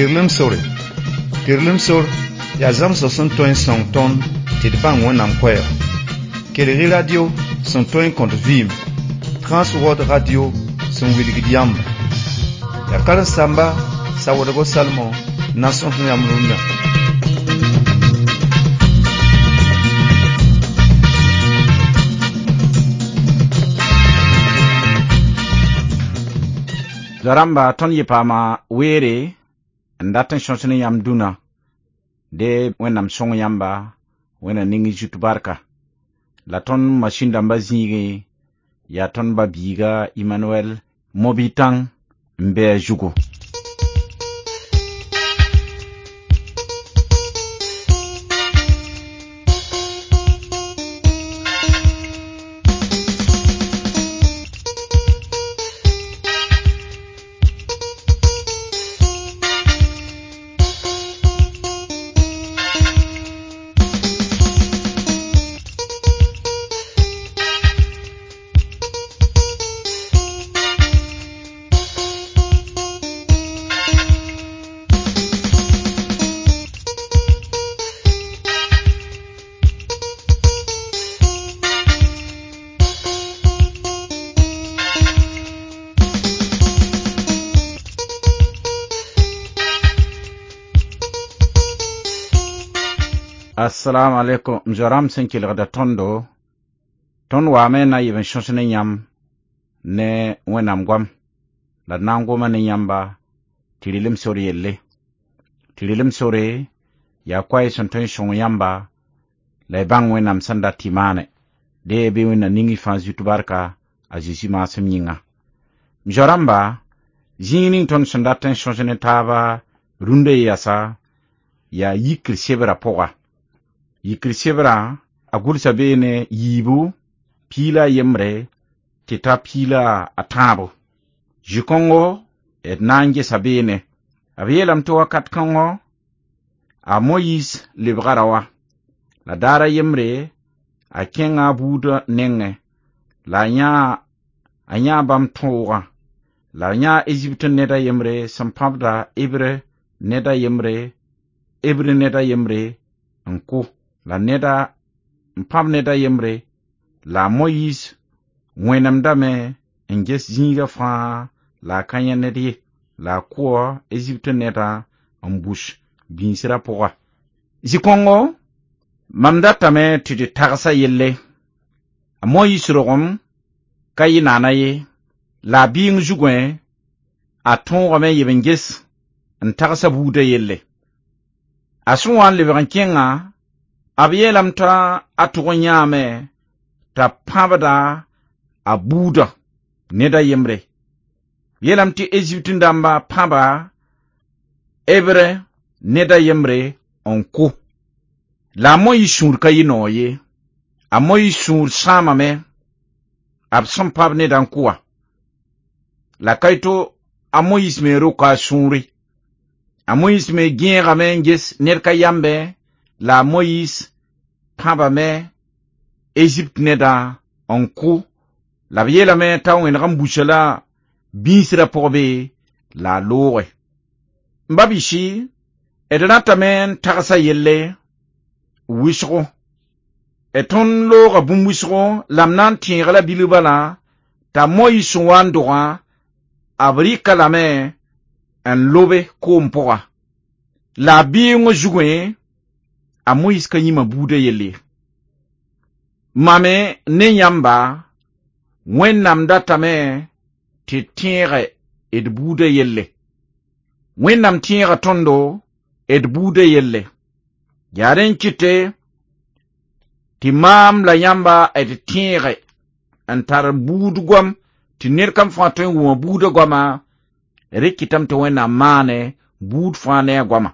Tɩrlem sore. Tɩrlem sor yaa zãmsg sẽn tõe n sõng tõnd tɩ d bãng Wẽnnaam koɛɛga. Kelg-y radio sẽn tõe n kõt vɩɩm, Transworld Radio sẽn wilgd yãmba. Yaa karen-saamba Sawoodgo Salmon n na n sõs yãmb rũndã. Zoa-rãmba tõnd yɩ paama weere n dat n sõs ne yãmb dũnã de Wẽnnaam sõng yãmba, Wẽnnaam ning y zut barka. La tõnd masĩn dãmbã zĩigẽ yaa tõnd ba-biiga Emmanuel Mobitãng n be a zugu. Assalamu alaikum m zoa-rãmb sẽn kelgda tõndo tõnd waame n na n yeb n sõs ne yãmb ne Wẽnnaam goam la d na n goma ne yãmba tɩ rɩlem sor yelle. Tɩ rɩlem sore yaa koɛɛ sẽn tõe n sõng yãmba la y bãng Wẽnnaam sẽn dat tɩ y maane. Dee bɩ Wẽnnaam ning y fãa zut barka a Zeezi maasem yĩnga. M zoa-rãmba, zĩig ning tõnd sẽn dat n sõs ne taaba rũndã yasa yaa yikr sebrã pʋga. Yikr sebrã a gʋlsa beene yiibu piila a yembre tɩ ta piila a tãabo. Zĩ-kõngo d na n gesa beene. B yeelame tɩ wakat kãngɔ a Moyiis lebga raoã la daar a yembre a kẽnga a buudã nengẽ la a yãa bãmb tõogã la a yãa Ezipt ned a yembre sẽn pãbda Hebre ned a yembre Hebre ned a yembre n kʋ la neda n pãb ned a yembre la a Moyiis wẽnemdame n ges zĩigã fãa la a ka yẽ ned ye la a kʋa Ezipt nedã n bus bĩisrã pʋga. Zĩ-kõngo mam datame tɩ d tagsa yelle. A Moyiis rogem ka yɩ naana ye la a bɩɩng zugẽ a tõogame n yeb n ges n tagsa buudã yelle. A sẽn wa n lebg n kẽngã b yeelame t'a a tʋg n yãame t'a pãbda a buudã ned a yembre. B yeelame tɩ Ezipt dãmba pãba Hebre ned a yembre n kʋ. La a Moyiis sũur ka yɩ noog ye. A Moyiis sũur sãamame b sẽn pãb nedã n kʋ wã. La ka to a Moyiis me roka a sũure. A Moyiis me gẽegame n ges ned ka yambẽ la a Moyiis pãbame Ezipt nedã n kʋ la b yeelame t'a wẽneg n busa la bĩisrã pʋg be la a looge. M ba-biisi, d rãtame n tagsa yelle wɩsgo. D tõnd looga bũmb wɩsgo la m na n tẽeg la bilg bala t'a Moyiis sẽn wa n dogã b rɩka lame n lobe koom pʋga. La a bɩɩng zugẽ a Moyiis ka yĩma buudã yelle ye. Mame ne yãmba Wẽnnaam datame tɩ tẽege d buudã yelle. Wẽnnaam tẽega tõndo d buudã yelle. Yaa rẽ n kɩte tɩ maam la yãmba d tẽege n tar buud goam tɩ ned kam fãa tõe n wʋma buudã goama rẽ kɩtame tɩ Wẽnnaam maane buud fãa ne a goama.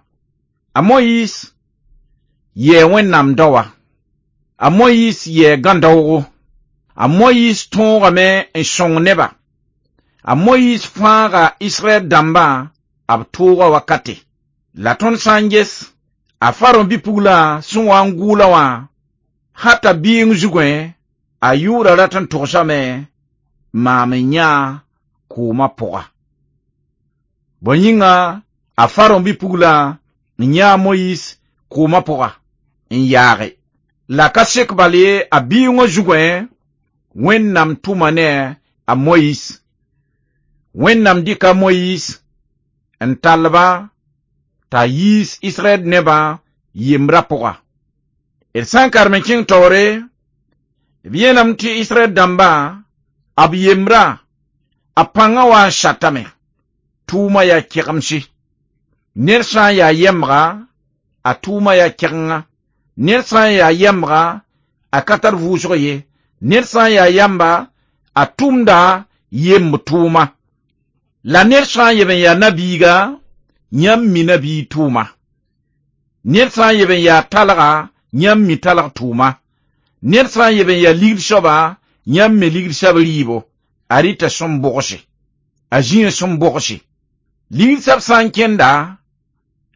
A Moyiis yɛɛ Wẽnnaam daoa. A Moyiis yɛɛ gãn-daoogo. A Moyiis tõogame n sõng neba. A Moyiis fãaga Israɛl dãmbã b tooga wakate. La tõnd sã n ges a Farõ bi-pugla sẽn wa n gʋʋla wã hata bɩɩng zugẽ a yʋʋra rat n togsame maam n yã koomã pʋga. Bõe yĩnga A Faron bi-pugla n yãa Moyiis koomã pʋga n yaage. La ka sek bal ye a biigã zugẽ Wẽnnaam tʋma ne a Moyiis. Wẽnnaam dɩka Moyiis n tall-ba t'a yiis Israɛl nebã yembrã pʋga. D sã n karem n kẽng taoore, b yeelame tɩ Israɛl dãmbã, b yembrã, a pãngã wa n satame. Tʋʋma yaa kɛgemse. Ned sã n yaa yɛmbga, a tʋʋma yaa kɛgenga. Ned sã n yaa yɛmbga, a ka tar vʋʋsg ye. Ned sã n yaa yamba, a tʋmda yemb tʋʋma. La ned sã n yeb n yaa nabiiga, yãmb mi nabiig tʋʋma. Ned sã n yeb n yaa talga, yãmb mi talg tʋʋma. Ned sã n yeb n yaa ligd soaba, yãmb me ligd soab rɩɩbo. A rɩta sẽn bogse, a zĩig sẽn bogse. Ligd soab sã n kẽnda,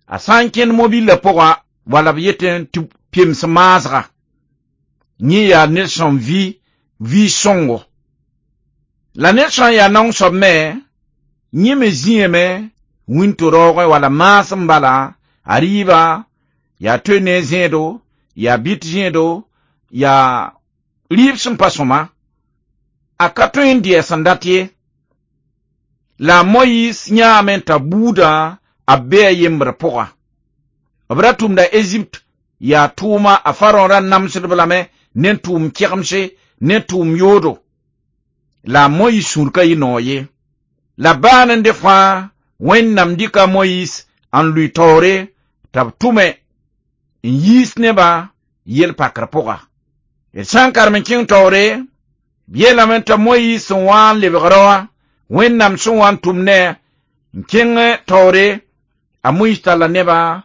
a sã n kẽnd mobillã pʋga, wala b yetẽ tɩ pems maasga. Yẽ yaa ned sẽn vɩ vɩ sõngo. La ned sã n yaa naong soab me, yẽ me zĩame wĩnto-raoogẽ wala maasem bala, a rɩɩba yaa toe ne zẽedo, yaa bɩt zẽedo, yaa rɩɩb sẽn pa sõma. A ka tõe n dɩ a sẽn dat ye. La a Moyiis yãame t'a buudã a bee a yembr pʋga. B ra tʋmda Ezipt yaa tʋʋma a Faron ra namsdb lame ne tʋʋm kɛgemse ne tʋʋm yoodo. La a Moyiis sũur ka yɩ noog ye. La baa n de fãa Wẽnnaam dɩka Moyiis n lʋɩ taoore t'a b tʋme n yiis nebã yel-pakr pʋga. D sã n karem n kẽng taoore, b yeelame t'a Moyiis sẽn wa n lebg raoã, Wẽnnaam sẽn wa n tʋm ne n kẽng taoore, a Moyiis talla nebã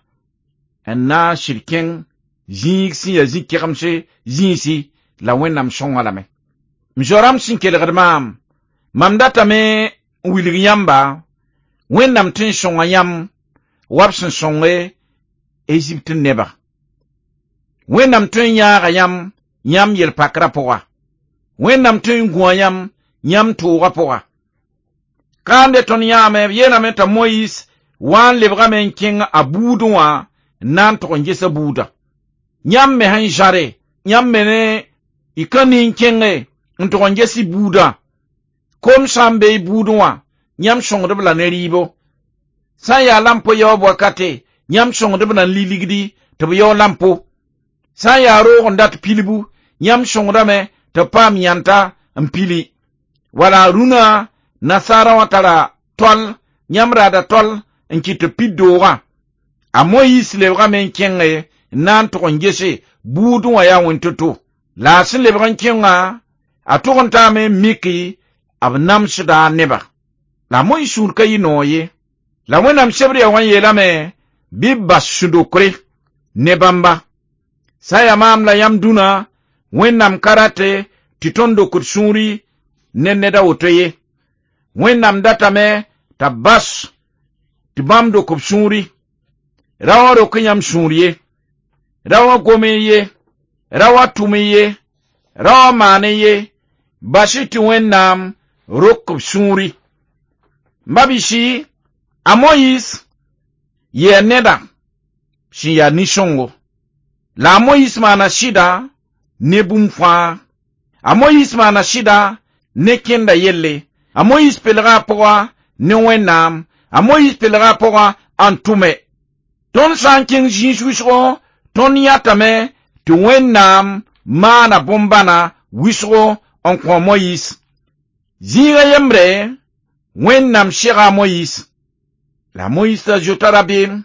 n na n sɩd kẽng zĩig sẽn yaa zĩ-kɛgemse zĩisi la Wẽnnaam sõnga lame. M zoa-rãmb sẽn kelgd maam, mam datame n wilg yãmba, Wẽnnaam tɩ n sõnga yãmb wa b sẽn sõnge Ezipt neba. Wẽnnaam tõe n yãaga yãmb yãmb yel-pakrã pʋga. Wẽnnaam tõe n gũa yãmb yãmb toogã pʋga. Kãande tõnd yãame, b yeelame t'a Moyiis wa n lebgame n kẽng a buudẽ wã n na n tog n ges a buudã. Yãmb me sẽn zãre, yãmb me ne y ka nin kẽnge n tog n ges y buudã. Kom sã n be y buudẽ wã, yãmb sõngd-b la ne rɩɩbo. Sã n yaa lampo yaoob wakate, yãmb sõngd-b la n li ligdi tɩ b yao lampo. Sã n yaa roog n dat pilbu, yãmb sõngdame tɩ b paam yãnta n pili. Wala rũnã nasaarã wã tara tol, yãmb raada tol n kɩt tɩ pid doogã. A Moyiis lebgame n kẽnge n na n tog n gese buudẽ wã yaa wẽn-to-to. La a sẽn lebg n kẽngã, a tog n taame n miki b namsda a neba. La a Moyiis sũur ka yɩ noog ye. La Wẽnnaam sebr yaa wã n yeelame bɩ b bas sũ-dokre ne bãmba. Sã n yaa maam la yãmb dũnã, Wẽnnaam ka rate tɩ tõnd dokd sũuri ne ned a woto ye. Wẽnnaam datame t'a bas tɩ bãmb dok b sũuri. Ra wã rok yãmb sũur ye, ra wã gom ye, ra wã tʋm ye, ra wã maan ye, bas-y tɩ Wẽnnaam rok b sũuri. Mabisi, a Moyiis yɛɛ neda sẽn yaa nin-sõngo. La a Moyiis maana sɩda ne bũmb fãa. A Moyiis maana sɩda ne kẽnda yelle. A Moyiis pelga a pʋga ne Wẽnnaam. A Moyiis pelga a pʋga n tʋme. Tõnd sã n kẽng zĩis wʋsgo, tõnd yãtame tɩ Wẽnnaam maana bõn-bãna wʋsgo n kõ Moyiis. Zĩigã yembre, Wẽnnaam sega a Moyiis. La Moyiis ra zoeta rabeem.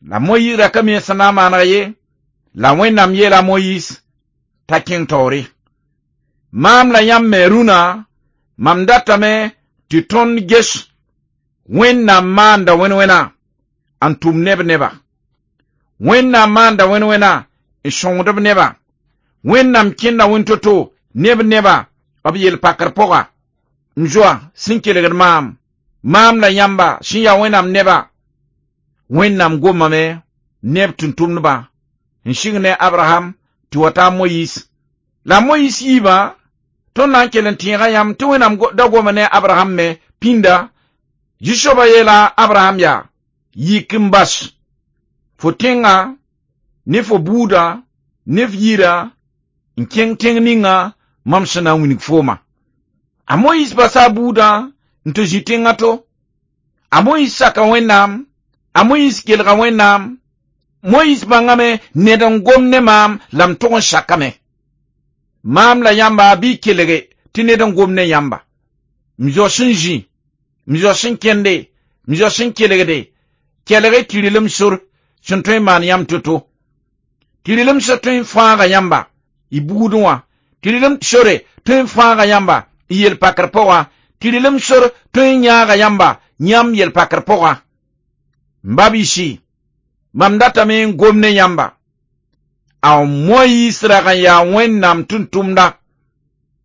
La Moyiis ra ka mi sẽn na n maaneg ye. La Wẽnnaam yeela a Moyiis t'a kẽng taoore. Maam la yãmb me rũnã, mam datame tɩ tõnd ges Wẽnnaam maanda wẽn-wẽna n tʋm neb neba. Wẽnnaam maanda wẽn-wẽna n sõngd b neba. Wẽnnaam kẽnda wẽn-to-to neb neba b yel-pakr pʋga. M zoa sẽn kelgd maam, maam la yãmba sẽn yaa Wẽnnaam neba. Wẽnnaam gomame neb tʋm-tʋmdbã n sɩng ne Abraham tɩ wa taa Moyiis. La Moyiis yiibã, tõnd na n kell n tẽega yãmb tɩ Wẽnnaam da goma ne Abraham me pĩnda. Zu-soabã yeela Abraham yaa: Yik n bas fo tẽnga ne fo buudã ne f yirã n kẽng tẽng ninga mam sẽn na n wilg fooma. A Moyiis basa a buudã n tɩ zĩ tẽngã to. A Moyiis saka Wẽnnaam, a Moyiis kelga Wẽnnaam. Moyiis bãngame ned n gom ne maam la m tʋg n sakame. Maam la yãmba bɩ y kelge tɩ ned n gom ne yãmba. M zo sẽn zĩ, m zo sẽn kẽnde, m zo sẽn kelgde, kelg tɩ rɩlem sor sẽn tõe n maan yãmb to-to. Tɩ rɩlem sor tõe n fãaga yãmba y buudẽ wã. Tɩ rɩlem sore tõe n fãaga yãmba y yel-pakr pʋgã. Tɩ rɩlem sor tõe n yãaga yãmba yãmb yel-pakr pʋgã. M ba-biisi, mam datame n gom ne yãmba. A Moyiis rag n yaa Wẽnnaam tʋm-tʋmda.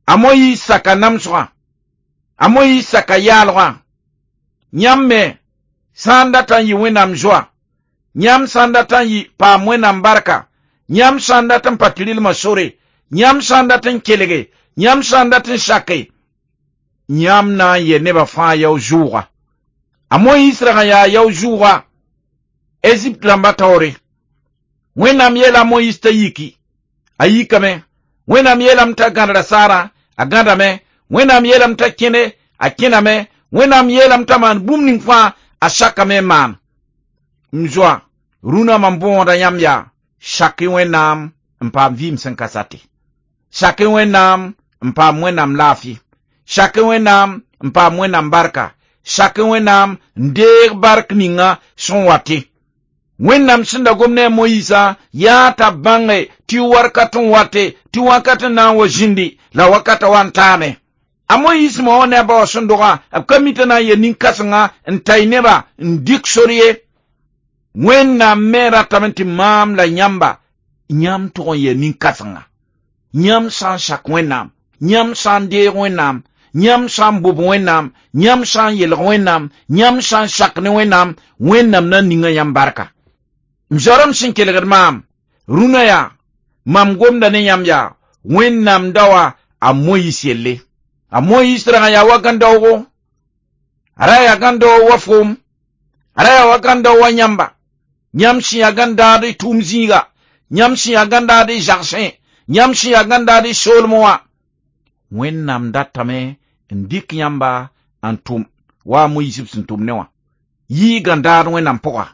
A Moyiis saka namsgã. A Moyiis saka yaalgã. Yãmb me sã n dat n yɩ Wẽnnaam zoa, yãmb sã n dat n yɩ paam Wẽnnaam barka, yãmb sã n dat n pa tɩ rɩlmã sore, yãmb sã n dat n kelge, yãmb sã n dat n sake, yãmb na n yɛ nebã fãa yao-zʋʋga. A Moyiis rag n yaa yao-zʋʋga Ezipt rãmba taoore. Wẽnnaam yeela a Moyiis t'a yiki, a yikame. Wẽnnaam yeelame t'a gãdra saarã, a gãdame. Wẽnnaam yeelame t'a kẽne, a kẽname. Wẽnnaam yeelame t'a maan bũmb ning fãa, a sakame n maan. M zoa, rũnã mam bõoda yãmb yaa, sak-y Wẽnnaam n paam vɩɩm sẽn ka sate. Sak-y Wẽnnaam n paam Wẽnnaam laafɩ. Sak-y Wẽnnaam n paam Wẽnnaam barka. Sak-y Wẽnnaam n deeg bark ninga sẽn wate. Wẽnnaam sẽn da gom ne a Moyiisã yaa t'a bãnge tɩ warkat n wate, tɩ wakat n na n wa zĩndi la wakata wa n taame. A Moyiis ma wã ne a ba wã sẽn dogã, b ka mi t'a na n yel nin-kãsenga n ta y nebã n dɩk sor ye. Wẽnnaam me ratame tɩ maam la yãmba, yãmb tʋg n yel nin-kãsenga. Yãmb sã n sak Wẽnnaam, yãmb sã n deeg Wẽnnaam, yãmb sã n bob Wẽnnaam, yãmb sã n yelg Wẽnnaam, yãmb sã n sak ne Wẽnnaam, Wẽnnaam na ninga yãmb barka. M zoarem sẽn kelgd maam, rũnã yaa, mam gomda ne yãmb yaa, Wẽnnaam daoa a Moyiis yelle. A Moyiis rag n yaa wa gãn-daoogo, a ra yaa gãn-daoog wa foom, a ra yaa wa gãn-daoog wa yãmba. Yãmb sẽn yaa gãn-daad y tʋʋm zĩiga, yãmb sẽn yaa gãn-daad y zagsẽ, yãmb sẽn yaa gãn-daad y soolmẽ wã. Wẽnnaam datame n dɩk yãmba n tʋm wa a Moyiis b sẽn tʋm ne wã. Yɩ gãn-daad Wẽnnaam pʋga.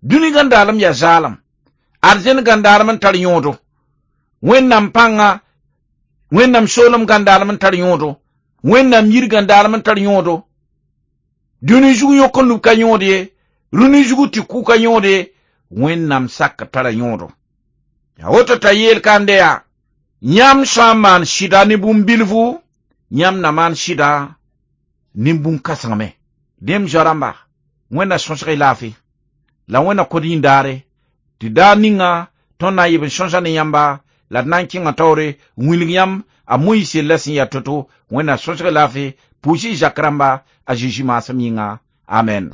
Dũni gãn-daalem yaa zaalem. Arzẽn gãn-daalem n tar yõodo. Wẽnnaam pãnga, Wẽnnaam soolem gãn-daalem n tar yõodo. Wẽnnaam yir gãn-daalem n tar yõodo. Dũni zug yõk n lub ka yõod ye, rũni zugu tɩ kʋ ka yõod ye, Wẽnnaam sak tara yõodo. Yaa woto t'a yeel kande yaa, yãmb sã n maan sɩda ne bũmb bilfu, yãmb na maan sɩda ne bũn-kãseng me. Dẽ m zoa-rãmba, Wẽnna sõsg y laafɩ, la Wẽnna kod yĩndaare, tɩ daar ninga tõnd na n yeb n sõsa ne yãmba, la d na n kẽnga taoore n wilg yãmb a Moyiis yella sẽn yaa to-to. Wẽnna sõsg y laafɩ, pʋʋs y zak rãmba a Zeezi maasem yĩnga. Amen.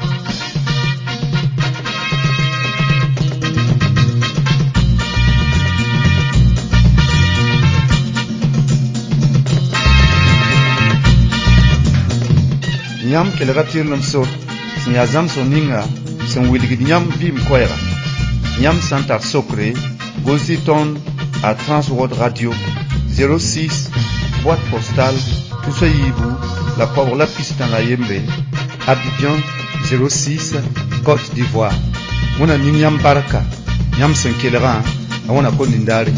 Yãmb kelga tɩrlem sor sẽn yaa zãmsg ninga sẽn wilgd yãmb vɩɩm koɛɛga. Yãmb sã n tar sokre, gʋls-y tõnd a Transworld Radio 06 boîte postale tusa yiibu la koabg la pistã la yembre, Abidjan 06, Côte d'Ivoire. Wẽnna ning yãmb barka, yãmb sẽn kelgã, a wãna kom nindaare.